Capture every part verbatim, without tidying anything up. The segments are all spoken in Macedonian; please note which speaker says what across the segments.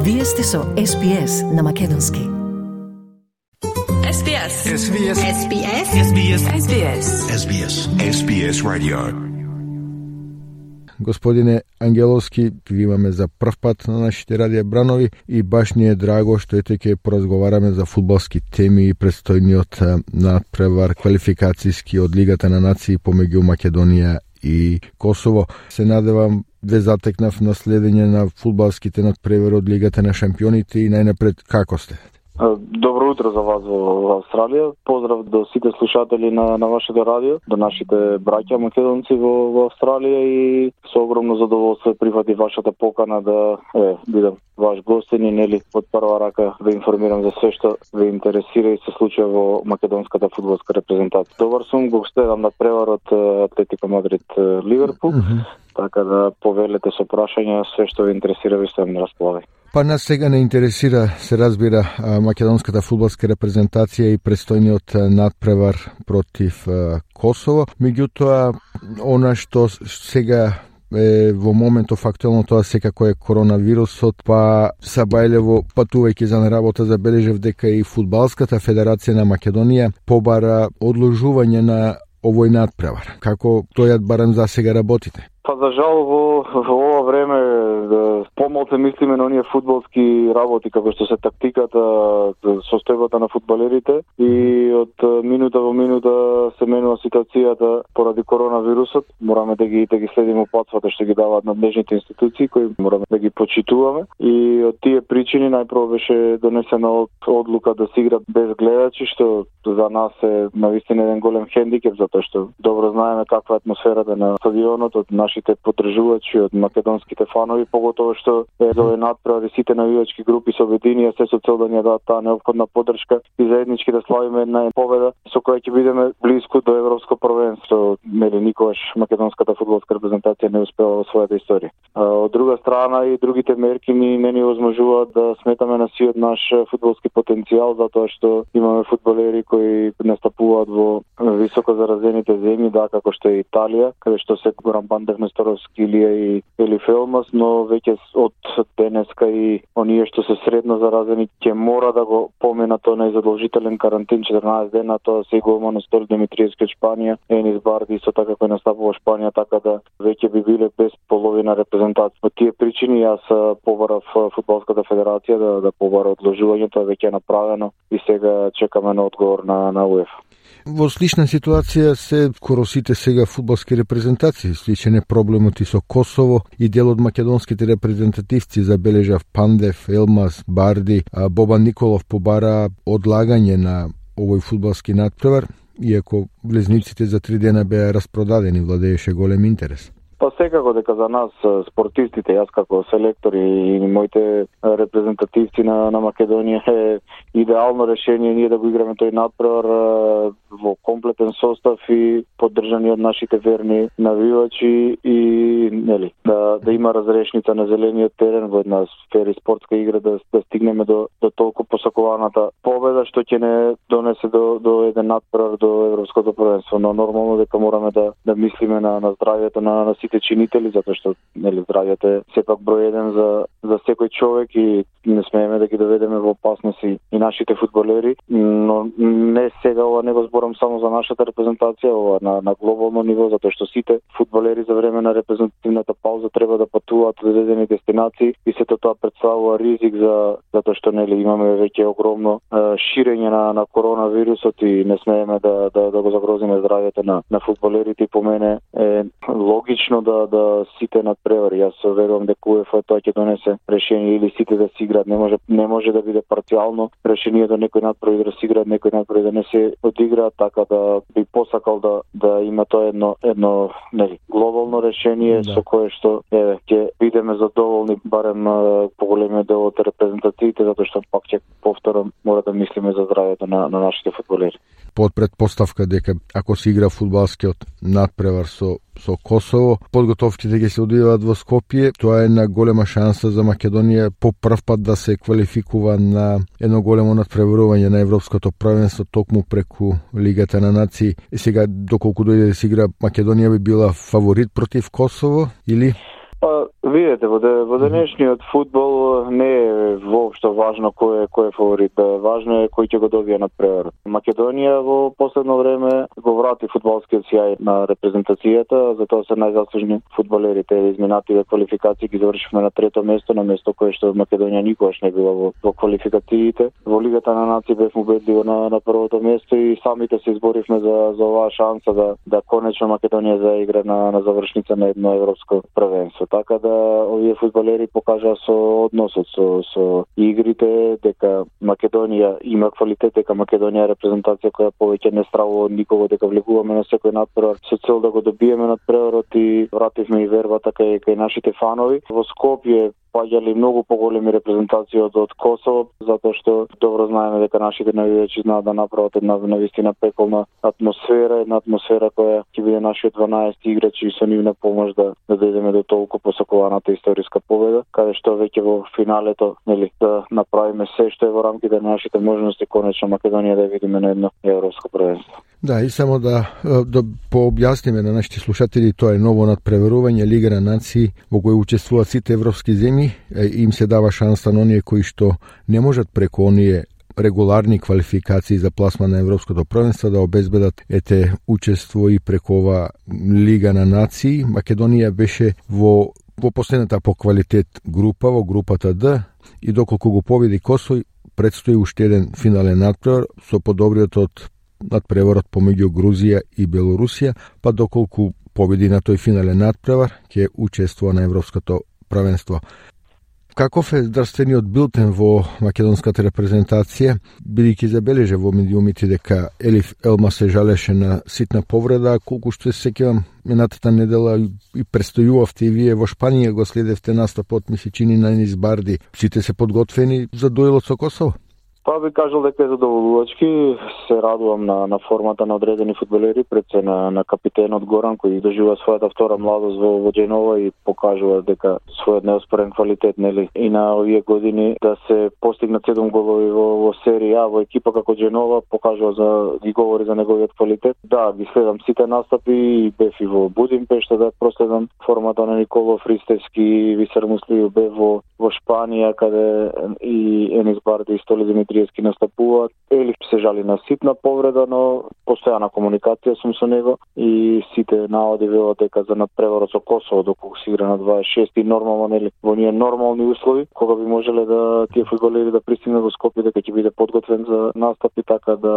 Speaker 1: Вие сте со Ес Би Ес на македонски.
Speaker 2: Ес Би Ес.
Speaker 3: Ес Би Ес.
Speaker 2: Ес Би Ес. Ес Би Ес. Ес Би Ес.
Speaker 3: Ес Би Ес. Ес Би Ес Radio.
Speaker 4: Господине Ангеловски, ви имаме за прв пат на нашите радија Бранови и баш ни е драго што ете ќе поразговараме за фудбалски теми и предстојниот надпревар квалификацијски од Лигата на нации помеѓу Македонија и Косово. Се надевам ве затекнав на следење на фудбалските надпревари од Лигата на шампионите и најнапред како сте?
Speaker 5: Добро утро за вас во Австралија. Поздрав до сите слушатели на, на вашето радио, до нашите браќа македонци во, во Австралија и со огромно задоволство прифати вашата покана да е, бидам ваш гостин и нели од прва рака да информирам за све што ве интересира и се случува во македонската фудбалска репрезентација. Добар сум, го следам на преварот Атлетико Мадрид Ливерпул, mm-hmm. така да повелете со прашања, све што ве интересира ви сум на располагање.
Speaker 4: Па нас сега не интересира, се разбира, македонската фудбалска репрезентација и престојниот надпревар против Косово. Меѓутоа, она што сега е во моментов актуелно, тоа секако е коронавирусот, па Сабајлево, патувајќи за на работа, забележав дека и Фудбалската федерација на Македонија побара одложување на овој надпревар. Како тој барам за сега работите?
Speaker 5: Па за жал во, во ова време да, помалку мислиме на оние фудбалски работи како што се тактиката, состојбата на фудбалерите и од минута во минута се менува ситуацијата поради коронавирусот. Мораме да ги да ги следиме упатствата што ги даваат надлежните институции кои мораме да ги почитуваме и од тие причини најпрво беше донесена одлука да се игра без гледачи, што за нас е навистина еден голем хендикеп затоа што добро знаеме каква е атмосферата на стадионот од нашите поддржувачи, од македонските фанови, поготово што е за овој надпревар сите навивачки групи се обединија се со цел да ни дадат таа неопходна поддршка и заеднички да славиме една победа со која ќе бидеме блиску до европско првенство. Нели никогаш македонската фудбалска репрезентација не успела во својата историја. А, од друга страна и другите мерки ни не ни овозможуваат да сметаме на сиот наш фудбалски потенцијал затоа што имаме фудбалери кои настапуваат во високо заразените земји, да, како што е Италија, каде што се Горан Пандев, Несторовски, Илија и Ели Фелмас, но веќе од денеска и оние што се средно заразени ќе мора да го поминат тој задолжителен карантин четрнаесет дена, тоа се голмано Стол Димитриевски од Шпанија, Енис Барди исто така кој настапува во Шпанија, така да веќе би биле без половина репрезентација. По тие причини јас побарав Фудбалската федерација да да побара одложување, тоа веќе е направено и сега чекаме на одговор на на УЕФА.
Speaker 4: Во слична ситуација се скоро сите сега фудбалски репрезентации. Сличен е проблемот и со Косово и дел од македонските репрезентативци забележав Пандев, Елмас, Барди, а Бобан Николов побара одлагање на овој фудбалски надпревар, иако влезниците за три дена беа распродадени, владееше голем интерес.
Speaker 5: Па секако дека за нас спортистите, јас како селектор и моите репрезентативци на, на Македонија е идеално решение ние да го играме тој надпревар во комплетен состав и поддржани од нашите верни навивачи и нели да да има разрешница на зелениот терен во една фери спортска игра да, да стигнеме до до толку посакуваната победа што ќе не донесе до до еден надпревар до европското првенство, но нормално дека мораме да да мислиме на на здравјето на, на сите чинители, затоа што нели здравјето е сепак број еден за за секој човек и не смееме да ги доведеме во опасност и, и нашите фудбалери, но не сега ова не го зборам само за нашата репрезентација, ова на на глобално ниво, затоа што сите фудбалери за време на репрезентативната пауза треба да патуваат до одредени дестинации и сето тоа представува ризик за затоа што нели имаме веќе огромно е, ширење на на коронавирусот и не смееме да да да го загрозиме здравјето на на фудбалерите и по мене е логично да да сите надпревари. Јас верувам дека УЕФА тоа ќе донесе решение или сите да си играат, не може не може да биде парцијално решението некој надпревари да си играат, некој надпревари да не се одиграат, така да би посакал да да има тоа едно едно нели глобално решение да. Со кое што еве ќе бидеме задоволни барем поголемиот дел од репрезентациите, затоа што пак ќе повторам мора да мислиме за здравјето на на нашите фудбалери.
Speaker 4: Под предпоставка дека ако се игра фудбалскиот надпревар со со Косово, подготовките ќе се одвиваат во Скопје, тоа е една голема шанса за Македонија по прв пат да се квалификува на едно големо надпреварување на европското првенство токму преку Лигата на нации. И сега доколку дојде да се игра, Македонија би била фаворит против Косово или
Speaker 5: Па, видете, во, де, во денешниот фудбал не е воопшто важно кој е кој е фаворит. Важно е кој ќе го добие надпреварот. Македонија во последно време го врати фудбалскиот сјај на репрезентацијата, затоа се најзаслужни фудбалерите. Изминативе квалификации ги завршивме на трето место, на место кое што Македонија никогаш не била во, во квалификациите. Во Лигата на нации бевме убедливо на, на првото место и самите се изборивме за, за оваа шанса да, да конечно Македонија заигра на, на завршница на едно европско првенство. Така да овие фудбалери покажаа со односот со, со игрите дека Македонија има квалитет, дека Македонија е репрезентација која повеќе не стравува од никого, дека влегуваме на секој надпревар со цел да го добиеме надпреварот и вративме и вербата кај, кај нашите фанови. Во Скопје паѓали многу поголеми репрезентации од, од Косово, затоа што добро знаеме дека нашите навивачи знаат да направат една навистина пеколна атмосфера, една атмосфера која ќе биде нашиот дванаесет играчи и со нивна помош да, да дојдеме до толку посакуваната историска победа, каде што веќе во финалето, нели, да направиме се што е во рамките на нашите можности, конечно Македонија да видиме на едно европско првенство.
Speaker 4: Да, и само да, да пообјасниме на нашите слушатели, тоа е ново надпреварување Лига на нации во кој учествуваат сите европски земји, им се дава шанса на оние кои што не можат преку оние регуларни квалификации за пласма на европското првенство да обезбедат ете учество и преку ова Лига на нации. Македонија беше во во последната по квалитет група, во групата Д, и доколку го победи Косово, предстои уште еден финален надпревар со подобриот од надпреварот помеѓу Грузија и Белорусија, па доколку победи на тој финален надпревар, ќе учествува на европското првенство. Каков е здравствениот билтен во македонската репрезентација, бидејќи забележа во медиумите дека Елиф Елма се жалеше на ситна повреда, колку што се сеќавам минатата недела и престојувавте и вие во Шпанија, го следевте настапот, ми се чини на Енис Барди. Сите се подготвени за дуелот со Косово?
Speaker 5: Па би кажал дека е задоволувачки. Се радувам на, на формата на одредени фудбалери, пред се на, на капитенот Горан, кој доживува својата втора младост во, во Дженова и покажува дека својот неоспорен квалитет, нели, и на овие години да се постигнат седум голови во, во серија А, во екипа како Дженова, покажува за, ги говори за неговиот квалитет. Да, ги следам сите настапи и бев и во Будимпешта да проследам формата на Николов Ристевски, Висер Муслију, бев во, во Шпанија, каде и Енис Барди и Столи Димитриевски настапуваат. Елиф се жали на ситна повреда, но постојана комуникација сум со него и сите наводи велат дека за надпреварот со Косово, доколку се игра на дваесет и шести, нормално, нели, во ние нормални услови, кога би можеле да тие фудбалери да пристигнат во Скопје, дека ќе биде подготвен за настапи, така да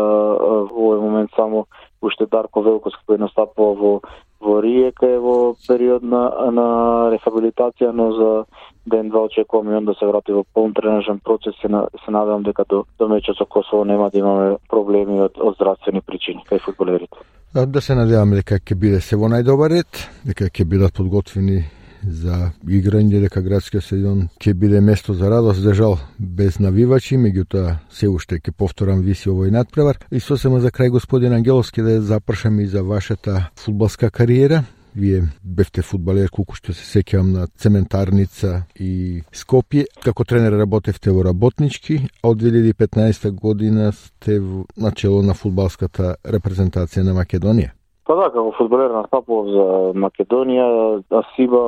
Speaker 5: во овој момент само уште Дарко Велковски кој настапува во во Риека е во период на, на рехабилитација, но за ден-два очекувам и он да се врати во полн тренажен процес. Се, на, се надевам дека до, до мечот со Косово нема да имаме проблеми од, од здравствени причини кај фудбалерите.
Speaker 4: Да се надеваме дека ќе биде се во најдобар ред, дека ќе бидат подготвени за играње, дека градскиот стадион ќе биде место за радост, за жал без навивачи, меѓутоа се уште ќе повторам виси овој надпревар. И сосема за крај, господин Ангеловски, да запрашаме и за вашата фудбалска кариера. Вие бевте фудбалер, колку што се сеќавам, на Цементарница и Скопје. Како тренер работевте во Работнички, а од две илјади и петнаесета година сте на чело на фудбалската репрезентација на Македонија.
Speaker 5: Па да, како фудбалер настапував за Македонија, Асиба,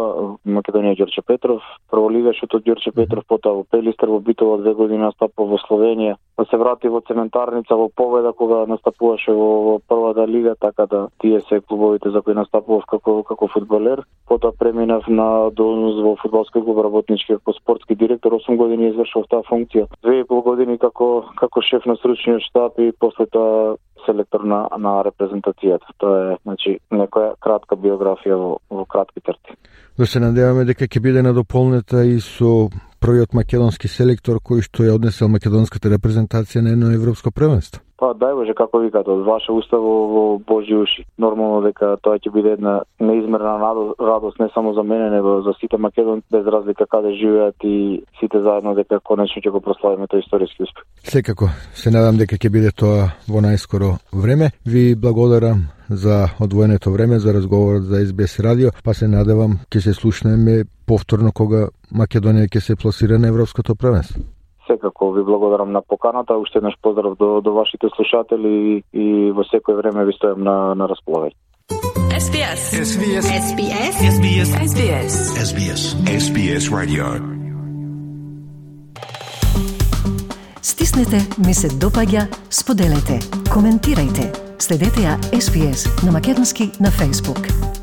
Speaker 5: Македонија Ѓорче Петров, прволигашот од Ѓорче Петров, потоа во Пелистер, во Битола две години настапував во Словенија, па се врати во Цементарница во Победа кога настапуваше во, во првата лига, така да тие се клубовите за кои настапував како како фудбалер. Потоа преминав на должност во фудбалски клуб Работнички како спортски директор, осум години извршував таа функција. Две и пол години како како шеф на стручниот штаб и после тоа селектор на, на репрезентацијата. Тоа е, значи, некоја кратка биографија во, во кратки црти.
Speaker 4: Да се надеваме дека ќе биде надополнета и со првиот македонски селектор кој што ја однесел македонската репрезентација на едно европско првенство. Па
Speaker 5: дај Боже, како викате, од ваше уста во, во Божји уши. Нормално дека тоа ќе биде една неизмерна радост не само за мене, него за сите македонци, без разлика каде живеат и сите заедно, дека конечно ќе го прославиме тој историски успех.
Speaker 4: Секако, се надам дека ќе биде тоа во најскоро време. Ви благодарам за одвоеното време за разговорот за Ес Би Ес радио, па се надевам ќе се слушнеме повторно кога Македонија ќе се пласира на европското првенство.
Speaker 5: Секако ви благодарам на поканата, уште еднаш поздрав до, до вашите слушатели и, и во секој време ви стојам на, на располагање.
Speaker 2: SBS.
Speaker 3: SBS.
Speaker 2: SBS. SBS. SBS.
Speaker 3: SBS. SBS Radio.
Speaker 1: Стиснете, ми се допаѓа, споделете, коментирајте. Следете ја Ес Би Ес на македонски на Facebook.